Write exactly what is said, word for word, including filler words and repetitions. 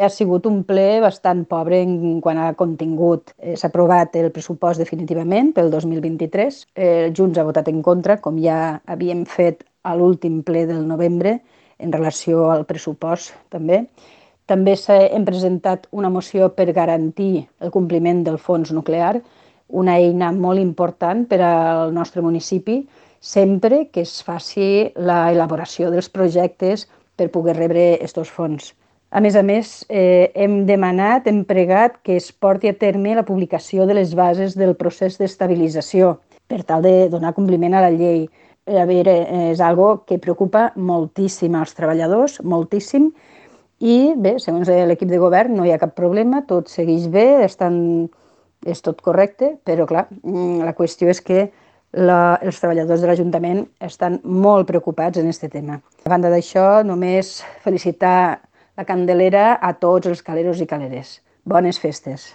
Ha sigut un ple bastant pobre en quant a contingut. Eh, S'ha aprovat el pressupost definitivament pel dos mil vint-i-tres. Eh, Junts ha votat en contra, com ja havíem fet a l'últim ple del novembre, en relació al pressupost també. També hem presentat una moció per garantir el compliment del fons nuclear, una eina molt important per al nostre municipi, sempre que es faci l'elaboració dels projectes per poder rebre aquests fons. A més a més, eh, hem demanat, hem pregat que es porti a terme la publicació de les bases del procés d'estabilització per tal de donar compliment a la llei. A veure, és algo que preocupa moltíssim als treballadors, moltíssim, i bé, segons l'equip de govern no hi ha cap problema, tot segueix bé, estan, és tot correcte, però clar, la qüestió és que la, els treballadors de l'Ajuntament estan molt preocupats en aquest tema. A banda d'això, només felicitar la Candelera a tots els caleros i caleres. Bones festes.